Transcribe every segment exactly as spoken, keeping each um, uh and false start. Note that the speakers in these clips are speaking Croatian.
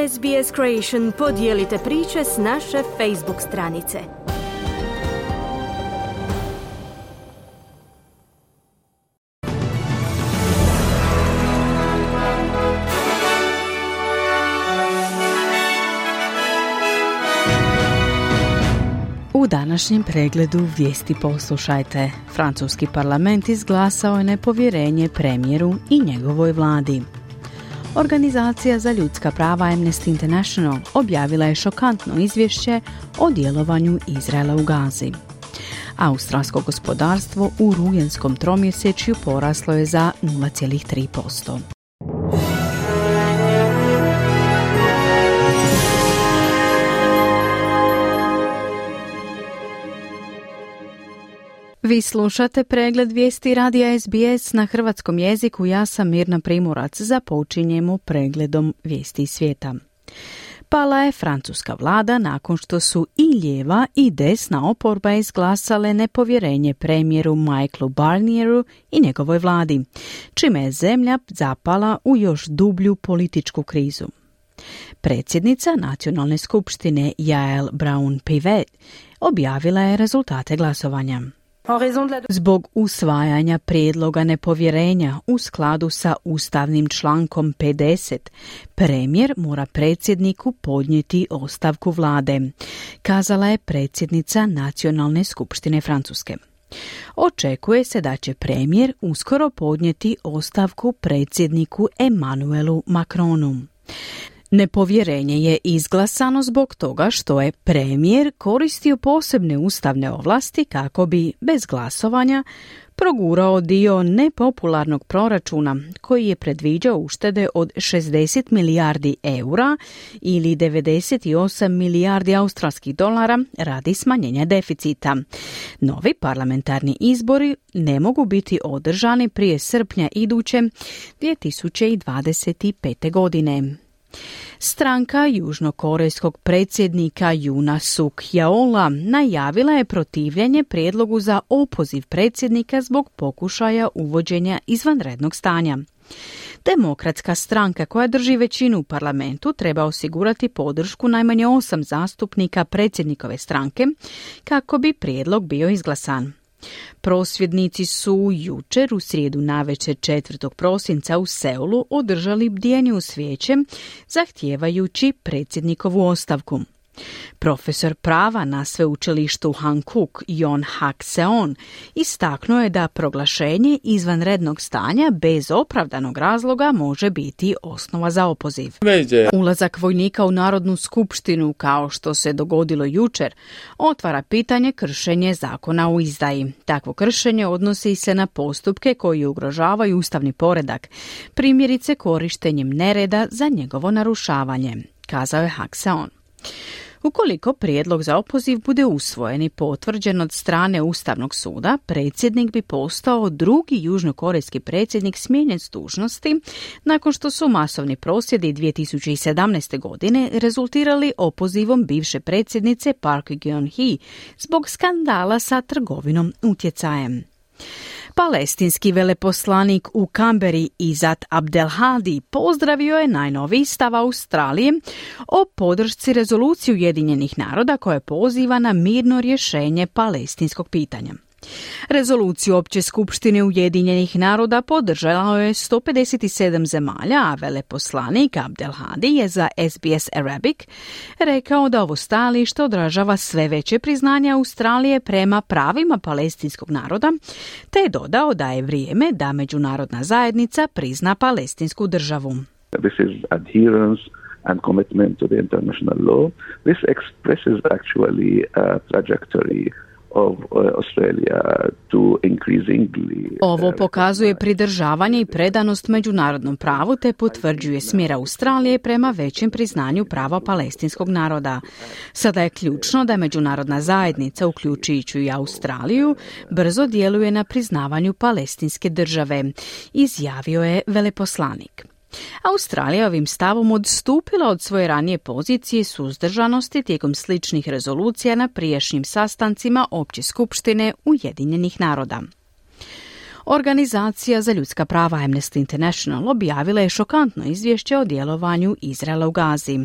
S B S Creation podijelite priče s naše Facebook stranice. U današnjem pregledu vijesti poslušajte. Francuski parlament izglasao je nepovjerenje premijeru i njegovoj vladi. Organizacija za ljudska prava Amnesty International objavila je šokantno izvješće o djelovanju Izraela u Gazi. Australsko gospodarstvo u rujenskom tromjesečju poraslo je za nula zarez tri posto. Vi slušate pregled vijesti radija S B S na hrvatskom jeziku. Ja sam Mirna Primorac. Započinjemo pregledom vijesti svijeta. Pala je francuska vlada nakon što su i lijeva i desna oporba izglasale nepovjerenje premijeru Michaelu Barnieru i njegovoj vladi, čime je zemlja zapala u još dublju političku krizu. Predsjednica Nacionalne skupštine Yael Braun-Pivet objavila je rezultate glasovanja. Zbog usvajanja prijedloga nepovjerenja u skladu sa ustavnim člankom pedeset, premijer mora predsjedniku podnijeti ostavku vlade, kazala je predsjednica Nacionalne skupštine Francuske. Očekuje se da će premijer uskoro podnijeti ostavku predsjedniku Emmanuelu Macronu. Nepovjerenje je izglasano zbog toga što je premijer koristio posebne ustavne ovlasti kako bi, bez glasovanja, progurao dio nepopularnog proračuna koji je predviđao uštede od šezdeset milijardi eura ili devedeset osam milijardi australskih dolara radi smanjenja deficita. Novi parlamentarni izbori ne mogu biti održani prije srpnja iduće dvije tisuće dvadeset pete. godine. Stranka južnokorejskog predsjednika Yoona Suk Yeola najavila je protivljenje prijedlogu za opoziv predsjednika zbog pokušaja uvođenja izvanrednog stanja. Demokratska stranka koja drži većinu u parlamentu treba osigurati podršku najmanje osam zastupnika predsjednikove stranke kako bi prijedlog bio izglasan. Prosvjednici su jučer u srijedu navečer četvrtog prosinca u Seulu održali bdjenje uz svijeće zahtijevajući predsjednikovu ostavku. Profesor prava na sveučilištu Hankook Yon Hak Seon istaknuo je da proglašenje izvanrednog stanja bez opravdanog razloga može biti osnova za opoziv. Ulazak vojnika u Narodnu skupštinu, kao što se dogodilo jučer, otvara pitanje kršenje zakona o izdaji. Takvo kršenje odnosi se na postupke koji ugrožavaju ustavni poredak, primjerice korištenjem nereda za njegovo narušavanje, kazao je Hak Seon. Ukoliko prijedlog za opoziv bude usvojen i potvrđen od strane Ustavnog suda, predsjednik bi postao drugi južnokorejski predsjednik smijenjen s dužnosti nakon što su masovni prosvjedi dvije tisuće sedamnaeste. godine rezultirali opozivom bivše predsjednice Park Geun-hye zbog skandala sa trgovinom utjecajem. Palestinski veleposlanik u Kamberi Izat Abdelhadi pozdravio je najnoviji stav Australije o podršci rezoluciji Ujedinjenih naroda koja poziva na mirno rješenje palestinskog pitanja. Rezoluciju Opće skupštine Ujedinjenih naroda podržalo je sto pedeset sedam zemalja, a veleposlanik Abdelhadi je za S B S Arabic rekao da ovo stajalište odražava sve veće priznanje Australije prema pravima palestinskog naroda, te je dodao da je vrijeme da međunarodna zajednica prizna palestinsku državu. This is adherence and commitment to the international law. This expresses actually a trajectory of Australia to increasingly. Ovo pokazuje pridržavanje i predanost međunarodnom pravu te potvrđuje smjer Australije prema većem priznanju prava palestinskog naroda. Sada je ključno da međunarodna zajednica, uključujući i Australiju, brzo djeluje na priznavanju palestinske države, izjavio je veleposlanik. Australija ovim stavom odstupila od svoje ranije pozicije suzdržanosti tijekom sličnih rezolucija na prijašnjim sastancima Opće skupštine Ujedinjenih naroda. Organizacija za ljudska prava Amnesty International objavila je šokantno izvješće o djelovanju Izraela u Gazi.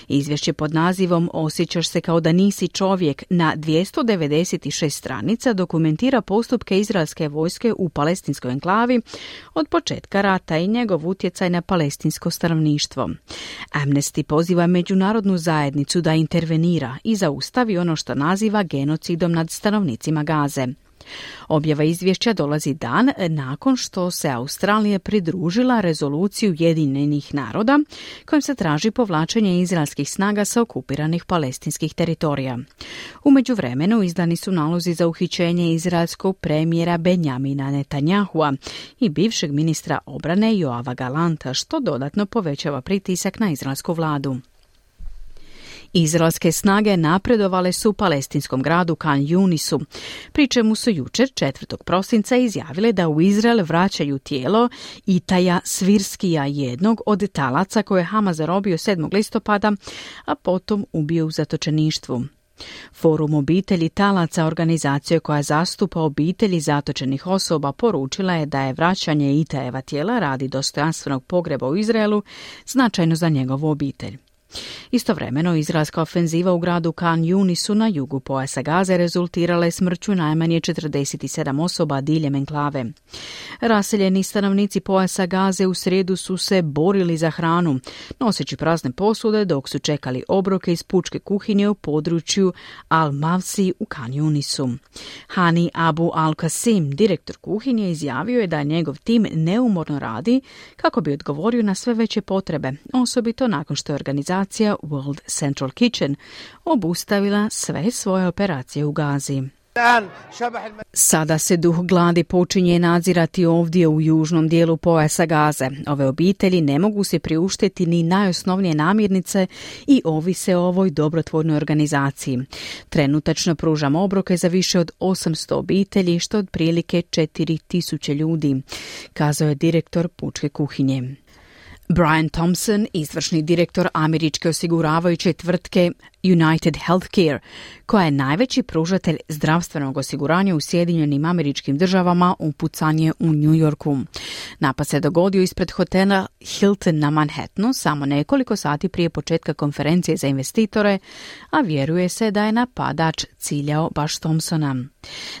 Izvješće pod nazivom Osjećaš se kao da nisi čovjek na dvjesto devedeset šest stranica dokumentira postupke izraelske vojske u palestinskoj enklavi od početka rata i njegov utjecaj na palestinsko stanovništvo. Amnesty poziva međunarodnu zajednicu da intervenira i zaustavi ono što naziva genocidom nad stanovnicima Gaze. Objava izvješća dolazi dan nakon što se Australija pridružila rezoluciju Ujedinjenih naroda kojom se traži povlačenje izraelskih snaga sa okupiranih palestinskih teritorija. U međuvremenu izdani su nalozi za uhićenje izraelskog premijera Benjamina Netanyahua i bivšeg ministra obrane Joava Galanta, što dodatno povećava pritisak na izraelsku vladu. Izraelske snage napredovale su u palestinskom gradu Khan Yunisu, pri čemu su jučer četvrtog prosinca izjavile da u Izrael vraćaju tijelo Itaja Svirskija, jednog od talaca koje je Hamas zarobio sedmog listopada, a potom ubio u zatočeništvu. Forum obitelji talaca, organizacija koja zastupa obitelji zatočenih osoba, poručila je da je vraćanje Itajeva tijela radi dostojanstvenog pogreba u Izraelu značajno za njegovu obitelj. Istovremeno, izraelska ofenziva u gradu Khan Yunisu na jugu pojasa Gaze rezultirala je smrću najmanje četrdeset sedam osoba diljem enklave. Raseljeni stanovnici pojasa Gaze u srijedu su se borili za hranu, noseći prazne posude dok su čekali obroke iz pučke kuhinje u području Al-Mavsi u Khan Yunisu. Hani Abu Al-Qasim, direktor kuhinje, izjavio je da njegov tim neumorno radi kako bi odgovorio na sve veće potrebe, osobito nakon što je organizacija World Central Kitchen obustavila sve svoje operacije u Gazi. Sada se duh gladi počinje nadzirati ovdje u južnom dijelu pojasa Gaze. Ove obitelji ne mogu se priuštiti ni najosnovnije namirnice i ovise o ovoj dobrotvornoj organizaciji. Trenutačno pružamo obroke za više od osamsto obitelji, što otprilike četiri tisuće ljudi, kazao je direktor pučke kuhinje. Brian Thompson, izvršni direktor američke osiguravajuće tvrtke United Healthcare, koja je najveći pružatelj zdravstvenog osiguranja u Sjedinjenim Američkim Državama, upucan je u New Yorku. Napad se dogodio ispred hotela Hilton na Manhattanu samo nekoliko sati prije početka konferencije za investitore, a vjeruje se da je napadač ciljao baš Thompsona.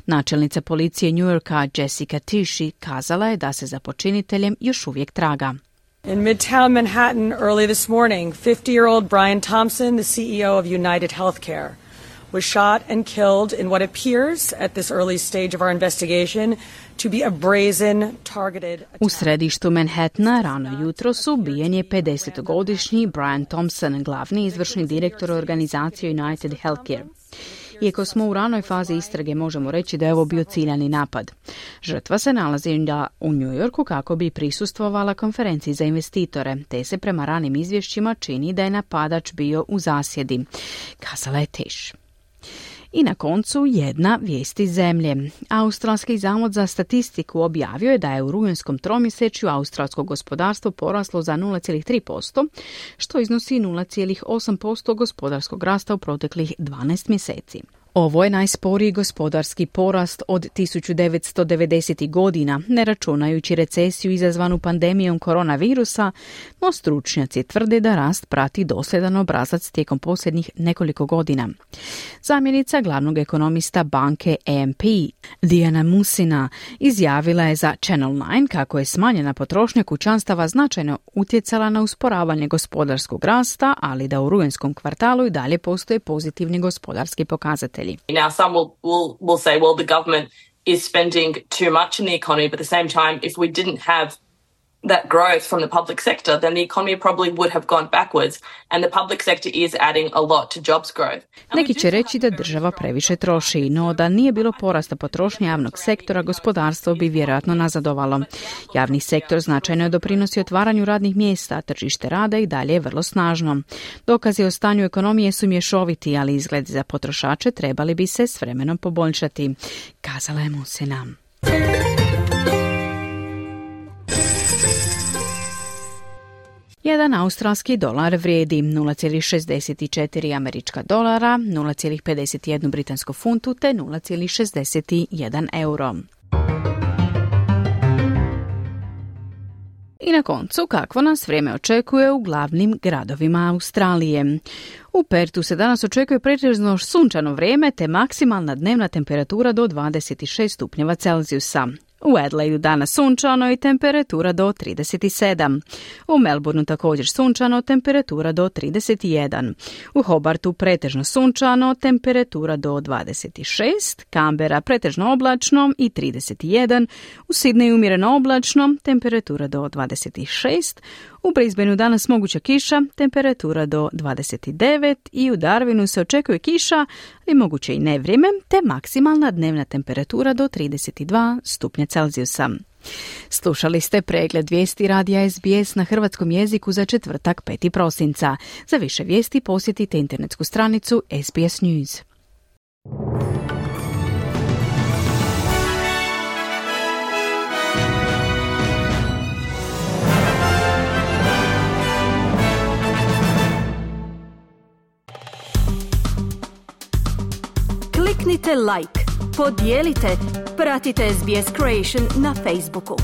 Načelnica policije New Yorka Jessica Tishi kazala je da se za počiniteljem još uvijek traga. In Midtown Manhattan early this morning, fifty-year-old Brian Thompson, the C E O of United Healthcare, was shot and killed in what appears at this early stage of our investigation to be a brazen, targeted attack. U središtu Manhattana rano jutros ubijen je pedesetogodišnji Brian Thompson, glavni izvršni direktor organizacije United Healthcare. Iako smo u ranoj fazi istrage, možemo reći da je ovo bio ciljani napad. Žrtva se nalazi u New Yorku kako bi prisustvovala konferenciji za investitore, te se prema ranim izvješćima čini da je napadač bio u zasjedi, kazala je Tish. I na koncu jedna vijest iz zemlje. Australski zavod za statistiku objavio je da je u rujanskom tromjesečju australsko gospodarstvo poraslo za nula zarez tri posto, što iznosi nula zarez osam posto gospodarskog rasta u proteklih dvanaest mjeseci. Ovo je najsporiji gospodarski porast od tisuću devetsto devedesetih godina, ne računajući recesiju izazvanu pandemijom koronavirusa, no stručnjaci tvrde da rast prati dosljedan obrazac tijekom posljednjih nekoliko godina. Zamjenica glavnog ekonomista banke A M P, Diana Musina, izjavila je za Channel nine kako je smanjena potrošnja kućanstava značajno utjecala na usporavanje gospodarskog rasta, ali da u rujanskom kvartalu i dalje postoje pozitivni gospodarski pokazatelji. Now, some will, will, will say, well, the government is spending too much in the economy, but at the same time, if we didn't have that growth from the public sector, then the economy probably would have gone backwards, and the public sector is adding a lot to jobs growth. Neki će reći da država previše troši, no da nije bilo porasta potrošnje javnog sektora, gospodarstvo bi vjerojatno nazadovalo. Javni sektor značajno doprinosi otvaranju radnih mjesta, tržište rada i dalje je vrlo snažno. Dokazi o stanju ekonomije su mješoviti, ali izgledi za potrošače trebali bi se s vremenom poboljšati, kazala je Musina. Jedan australski dolar vrijedi nula zarez šezdeset četiri američka dolara, nula zarez pedeset jedan britansku funtu te nula zarez šezdeset jedan euro. I na koncu, kakvo nas vrijeme očekuje u glavnim gradovima Australije. U Pertu se danas očekuje pretežno sunčano vrijeme te maksimalna dnevna temperatura do dvadeset šest stupnjeva Celzijusa. U Adelaidu danas sunčano i temperatura do trideset sedam. U Melbourneu također sunčano, temperatura do trideset jedan. U Hobartu pretežno sunčano, temperatura do dvadeset šest. Canberra pretežno oblačno i trideset jedan. U Sydneyu umjereno oblačno, temperatura do dvadeset šest. U Brisbaneu danas moguća kiša, temperatura do dvadeset devet i u Darwinu se očekuje kiša, ali moguće i nevrijeme, te maksimalna dnevna temperatura do trideset dva stupnja Celzijusa. Slušali ste pregled vijesti radija S B S na hrvatskom jeziku za četvrtak peti prosinca. Za više vijesti posjetite internetsku stranicu S B S News. Kliknite like, podijelite, pratite S B S Creation na Facebooku.